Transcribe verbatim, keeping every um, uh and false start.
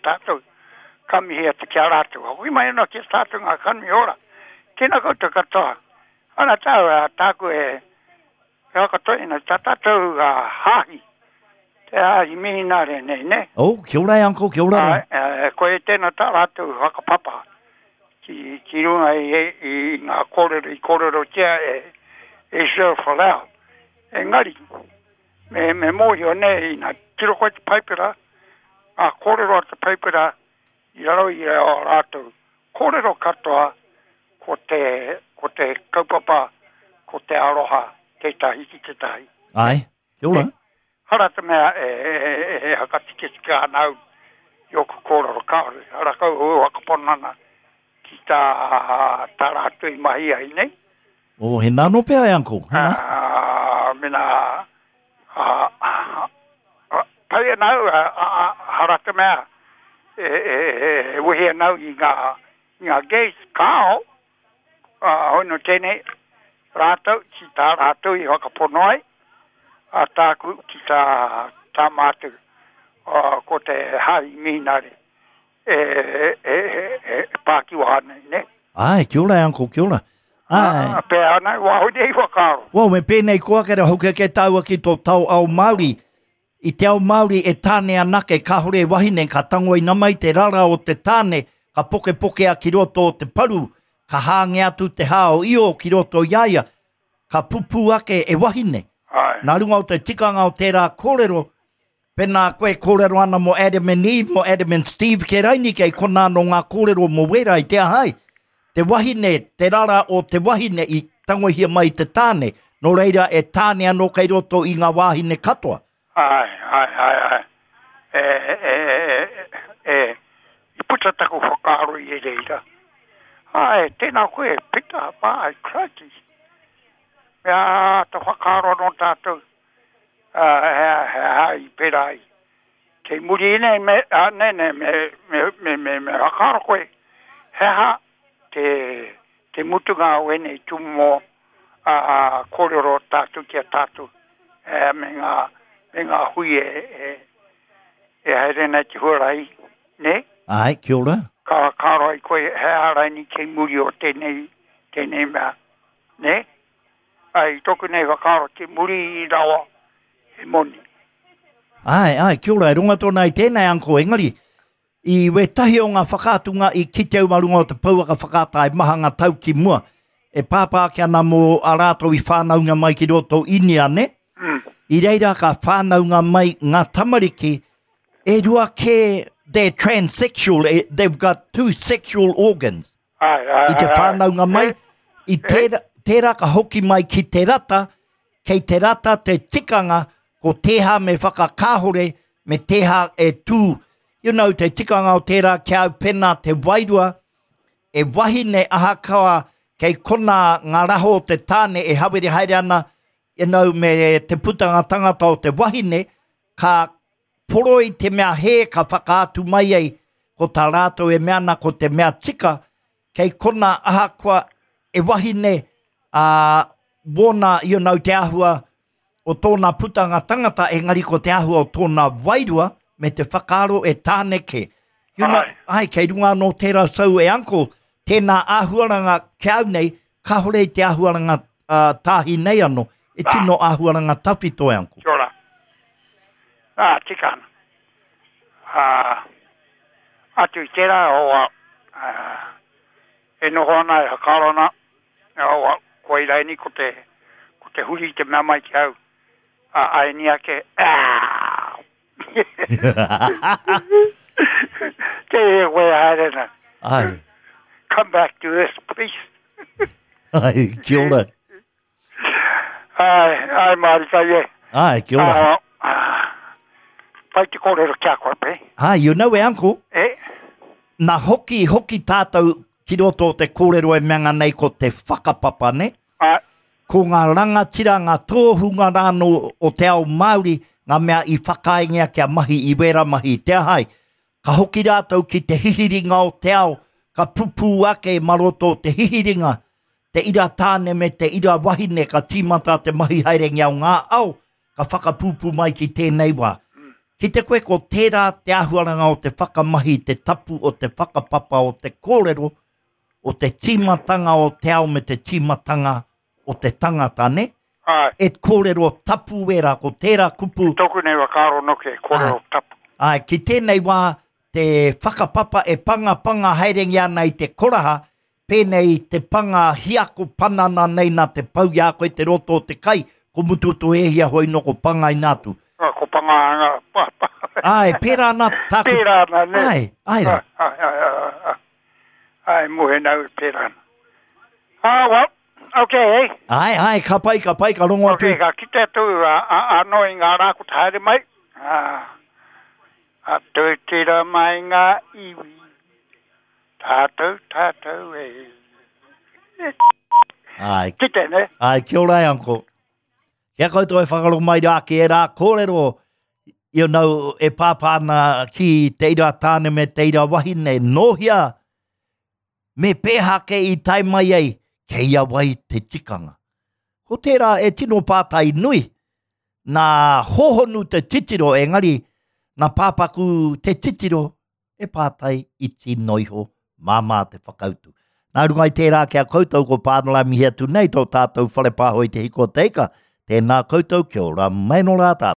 tātou. Ka mihi atu ki a rātou. Hoki mai anō ki a tātou ngā kanohi ora. Tēnā koutou katoa. Ana tāu, a tāku e, e whakatoina, tā tātou a hāhi. Te hāhi mihinare nei, ne? Oh, kia ora e, uncle, kia ora. A, e, ko e tēnā tā rātou whakapapa ki, ki runga i, i, i ngā kōrero, i kōrerotia e, e Sir Folau. Engari, me, me mōhio nei, nā tiro koe te paipera, ngā kōrero a te paipera i raro i o rātou. Kōrero katoa ko te, ko te kaupapa, ko te aroha, tētahi ki tētahi. Ai, kia ora. Hara te mea e, e, e, e hakatiketika ana au i oku kōrero kāore. Hara kau o whakapono ana ki tā, tā rātou i mahi ai nei. Oh, he nāno pea e, uncle. He nā. Ah, mena, ah, ah, ah, pai ana au, ah, ah, hara te mea, e, e, e, e wehi ana au i ngā, i ngā gays, kāo, ah, hono tēnei, rātou, ki tā rātou i whakapono ai, a tāku ki tā, tā mātou, ah, ko te hāhi mihinare, e, e, e, e, e pākiwaha nei, ne? Ai, kia ora e, uncle, kia ora. Ai. Ah, pēa ana, wāho nei whakaaro. Well, me pēnei koa kere hoki ke tāua ki tō tau ao Māori. I te ao Māori e tāne anake, kāhore e wahine, ka tango i mai te rara o te tāne, ka pokepokea ki roto o te paru, ka hānge atu te hao io ki roto i a ia, ka pupū ake e wahine. Ai. Nā runga o te tikanga o tērā kōrero, pēnā koe kōrero ana mō Adam and Eve, mō Adam and Steve ke raini kei konā no ngā kōrero mō wera i te ahai. Te wahine, te rara o te wahine i tangohia mai te tāne, nō reira e tāne anō kei roto i ngā wāhine katoa. Ai, ai, ai, ai. E, e, e, e, e, i puta taku whakaaro i e reira. Ai, tēnā koe, Peter, ai, crikey. Mea āta whakaaro anō tātou, uh, he, he hai pērā ai. Kei muri nei, me, a, ne, ne, me, me, me, me, me whakaaro koe, he aha te, te mutunga o ēnei tūmomo a, a, kōrero tātou ki a tātou, e, me ngā, me ngā hui e, e, e haere nei te huarahi, ne? Ai, kia ora. Ka whakaaro ai koe, he aha raini kei muri o tēnei, tēnei mea, ne? Ai, tōku nei whakaaro te muri i rawa he moni. Ai, ai, kia ora, e runga tōna i tēnei, uncle, engari, i wētahi o ngā whakaatunga i kite au mā runga o te pouaka whakaata e maha ngā tau ki mua, e pāpā ake ana mō a rātou i whānaunga mai ki roto Inia, ne? Mm. I reira ka whānaunga mai ngā tamariki, e rua kē, they're transsexual, eh, they've got two sexual organs. Ai, ai, I te ai, ai. whānaunga mai, i tērā, tērā ka hoki mai ki te rata, kei te rata te tikanga, ko tēhā me whakakāhore, me tēhā e tū. You know, te tikanga o tērā kia au pena te wairua, e wahine ahakoa kei kona ngā raho o te tāne e hawere haere ana, you know, me te putanga tangata o te wahine, ka poroi te mea hē ka whakaatu mai ai, ko tā rātou e mea ana ko te mea tika, kei kona ahakoa e wahine, a, wōna, you know, te āhua o tōna putanga tangata, engari ko te āhua o tōna wairua, me te whakaaro e tāne ke. You know, Ai. ai, kei runga anō tērā sau e uncle, tēnā āhuaranga ki au nei, kāhore i te āhuaranga uh, tāhi nei anō, e Ah. tino āhuaranga tawhito e uncle. Kia ora. Ah, tika ana. Ah, atu i tērā o ah, e noho ana e whakaaro ana, o, koe raini ko te, ko te huri te mea mai ki au. A, ai ni ake, ah! Te e koe haere na. Ai, Come back to this, please. ai, kia ora. Ai, ai, Marika, e. Ai, kia ora. Ah, ah, pai te kōrero kia koe, pe. Ai, you know e uncle, E, nā hoki, hoki tātou ki roto o te kōrero e mea nei ko te whakapapa, ne? ai, Ko ngā rangatira, ngā tōhunga rānō o te ao Māori, ngā mea i whakaingia kia mahi i wera mahi i te ahai. Ka hoki rātou ki te hihiringa o te ao, ka pupū ake maroto o te hihiringa, te ira tāne me te ira wahine ka tīmata te mahi haerengia o ngā ao, ka whakapūpū mai ki tēnei wā. Ki te koe ko tērā te āhuaranga o te whakamahi, te tapu o te whakapapa o te kōrero, o te tīmatanga o te ao me te tīmatanga o te tangata, ne? Ai. E kōrero tapu wera, ko tērā kupu. Tōku nei whakaaro noke, kōrero tapu. Ai, ki tēnei wā, te whakapapa e pangapanga haerengia ana i te koraha, pēnei te panga hiako panana nei nā te pau i a koe te roto o te kai, ko mutu to e hia hoi no ko panga ina atu. Ah, ko panga anga, pa, pa. Ai, pērā ana tāku. Pērā ana, ne? Ai, ai rā. Ai, ai, ai, ai. Ai, mohe nau e pērā ana. Ah, well, okay, eh? Ai, ai, ka pai, ka pai, ka rongo atu. Okay, ka kite atu a, a, anō i ngā rā ko te haere mai. Ah, a tūtira mai ngā iwi. Tātou, tātou, e. Ai, Kite, ne? ai, kia ora e, uncle. Kia koutou e whakaro mai rā ki e rā kōrero, you know, e pāpā ana ki te ira tāne me te ira wahine, nōhia, me pēhā ke i tae mai ai, kei a wai te tikanga. Ko tērā e tino pātai nui, nā hohonu te titiro, engari, nā pāpaku te titiro, e pātai iti noiho, māmā te whakautu. Nā runga i tērā kia koutou ko Pānara mihi atu nei tō tātou whare pāho i te hiko o te ika. Tēnā koutou, kia ora mai no rā tātou.